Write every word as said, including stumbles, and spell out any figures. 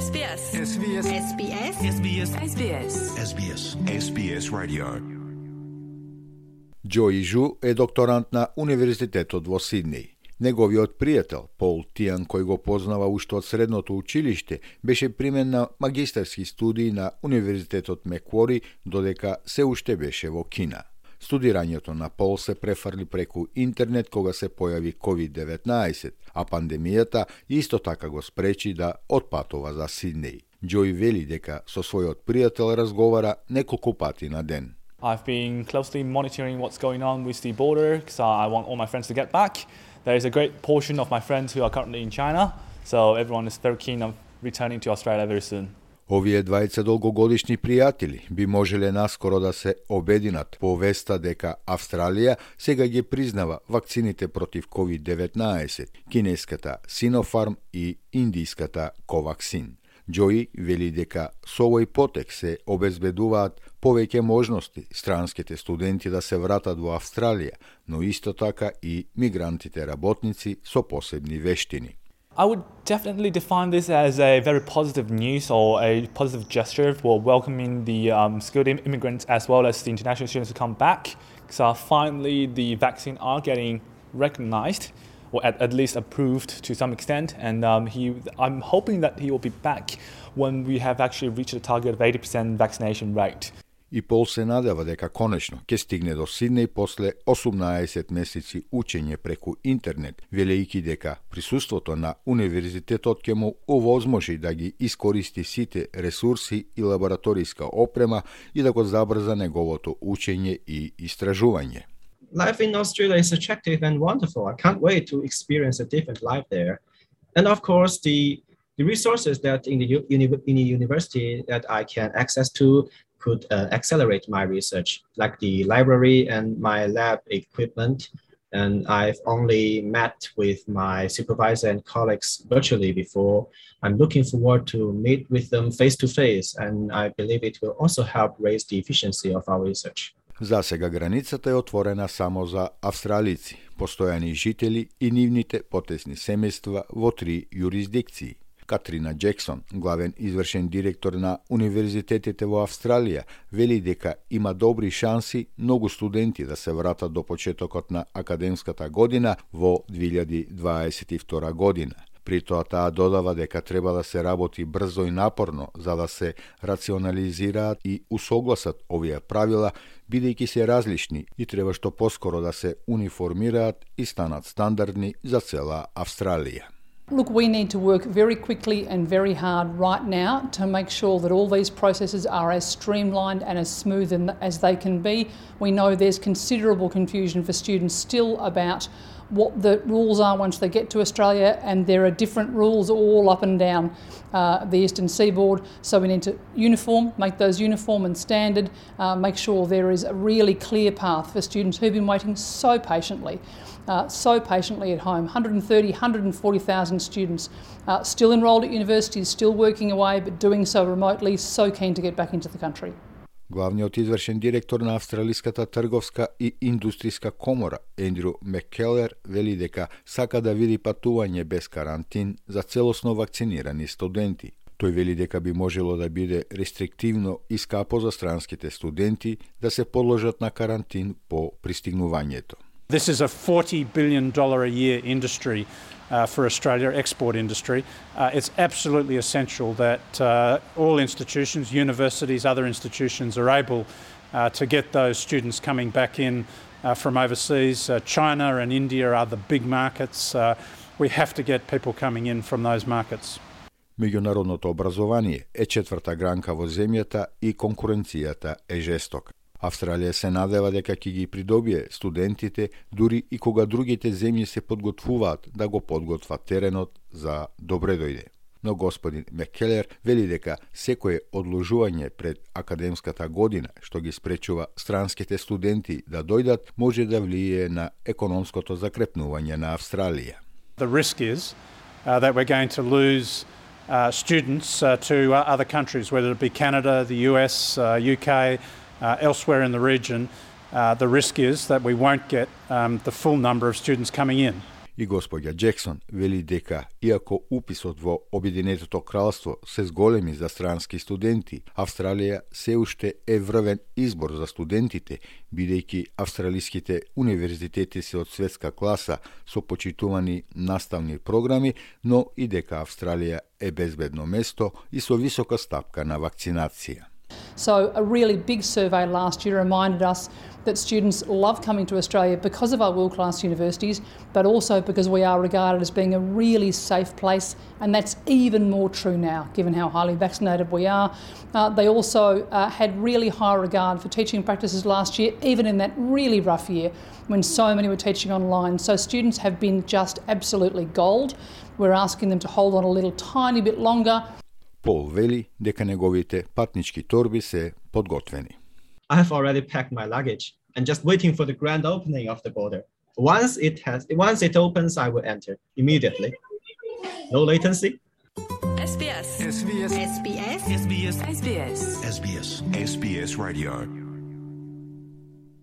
S B S. S B S. S B S. S B S. S B S. S B S. S B S Radio. Џои Жу е докторант на Универзитетот во Сиднеј. Неговиот пријател, Пол Тијан, кој го познава уште од средното училиште, беше примен на магистарски студии на Универзитетот Меквори, додека се уште беше во Кина. Студирањето на Пол се префрли преку интернет кога се појави ковид деветнаесет, а пандемијата исто така го спречи да отпатува за Сиднеј. Џои вели дека со својот пријател разговара неколку пати на ден. I've been closely monitoring what's going on with the border because I want all my friends to get back. There is a great portion of my friends who are currently in China, so everyone is very keen on returning to Australia very soon. Овие двајца долгогодишни пријатели би можеле наскоро да се обединат по веста дека Австралија сега ги признава вакцините против ковид деветнаесет, кинеската Sinopharm и индиската Covaxin. Џои вели дека со овој потек се обезбедуваат повеќе можности странските студенти да се вратат во Австралија, но исто така и мигрантите работници со посебни вештини. I would definitely define this as a very positive news or a positive gesture for welcoming the um, skilled immigrants as well as the international students to come back. So finally the vaccine are getting recognized or at, at least approved to some extent, and um, he, I'm hoping that he will be back when we have actually reached a target of eighty percent vaccination rate. И Пол се надева дека конечно ќе стигне до Сиднеј после осумнаесет месеци учење преку интернет, велејќи дека присуството на универзитетот ќе му овозможи да ги искористи сите ресурси и лабораториска опрема и да го забрза неговото учење и истражување. Life in Australia is attractive and wonderful. I can't wait to experience a different life there. And of course, the, the resources that in the, uni, in the university that I can access to could uh, accelerate my research, like the library and my lab equipment. And I've only met with my supervisor and colleagues virtually before. I'm looking forward to meet with them face to face, and I believe it will also help raise the efficiency of our research. За сега границата е отворена само за австралици, постојани жители и нивните потесни семејства во три юрисдикции. Катрина Джексон, главен извршен директор на универзитетите во Австралија, вели дека има добри шанси многу студенти да се вратат до почетокот на академската година во две илјади дваесет и втора година. При тоа таа додава дека треба да се работи брзо и напорно за да се рационализираат и усогласат овие правила, бидејќи се различни и треба што поскоро да се униформираат и станат стандардни за цела Австралија. Look, we need to work very quickly and very hard right now to make sure that all these processes are as streamlined and as smooth as they can be. We know there's considerable confusion for students still about what the rules are once they get to Australia, and there are different rules all up and down uh, the eastern seaboard, so we need to uniform, make those uniform and standard, uh, make sure there is a really clear path for students who've been waiting so patiently, uh, so patiently at home. one hundred thirty, one hundred forty thousand students uh, still enrolled at universities, still working away, but doing so remotely, so keen to get back into the country. Главниот извршен директор на Австралиската трговска и индустријска комора, Ендрю Маккелер, вели дека сака да види патување без карантин за целосно вакцинирани студенти. Тој вели дека би можело да биде рестриктивно и скапо за странските студенти да се подложат на карантин по пристигнувањето. This is a forty billion dollars a year industry uh, for Australia, export industry. Uh, it's absolutely essential that uh, all institutions, universities, other institutions are able uh, to get those students coming back in uh, from overseas. Uh, China and India are the big markets. Uh, we have to get people coming in from those markets. Меѓународното образование е четврта гранка во земјата и конкуренцијата е жестока. Австралија се надева дека ќе ги придобие студентите дури и кога другите земји се подготвуваат да го подготват теренот за добре дојде. Но господин Маккелер вели дека секое одложување пред академската година што ги спречува странските студенти да дојдат може да влијае на економското закрепнување на Австралија. The risk is uh, that we're going to lose uh, students uh, to uh, other countries, whether it be Canada, the U S, uh, U K, Uh, elsewhere in the region. Uh, the risk is that we won't get um, the full number of students coming in. И господја Джексон вели дека, иако уписот во Обединетото кралство се зголеми за странски студенти, Австралија се уште е врвен избор за студентите, бидејќи австралиските универзитети се од светска класа со почитувани наставни програми, но и дека Австралија е безбедно место и со висока стапка на вакцинација. So a really big survey last year reminded us that students love coming to Australia because of our world-class universities, but also because we are regarded as being a really safe place, and that's even more true now, given how highly vaccinated we are. Uh, they also uh, had really high regard for teaching practices last year, even in that really rough year when so many were teaching online. So students have been just absolutely gold. We're asking them to hold on a little tiny bit longer. Пол вели дека неговите патнички торби се подготвени. I have already packed my luggage and just waiting for the grand opening of the border. Once it has, once it opens, I will enter immediately. No latency. S B S. S B S. S B S. S B S. S B S. S B S. S B S Radio.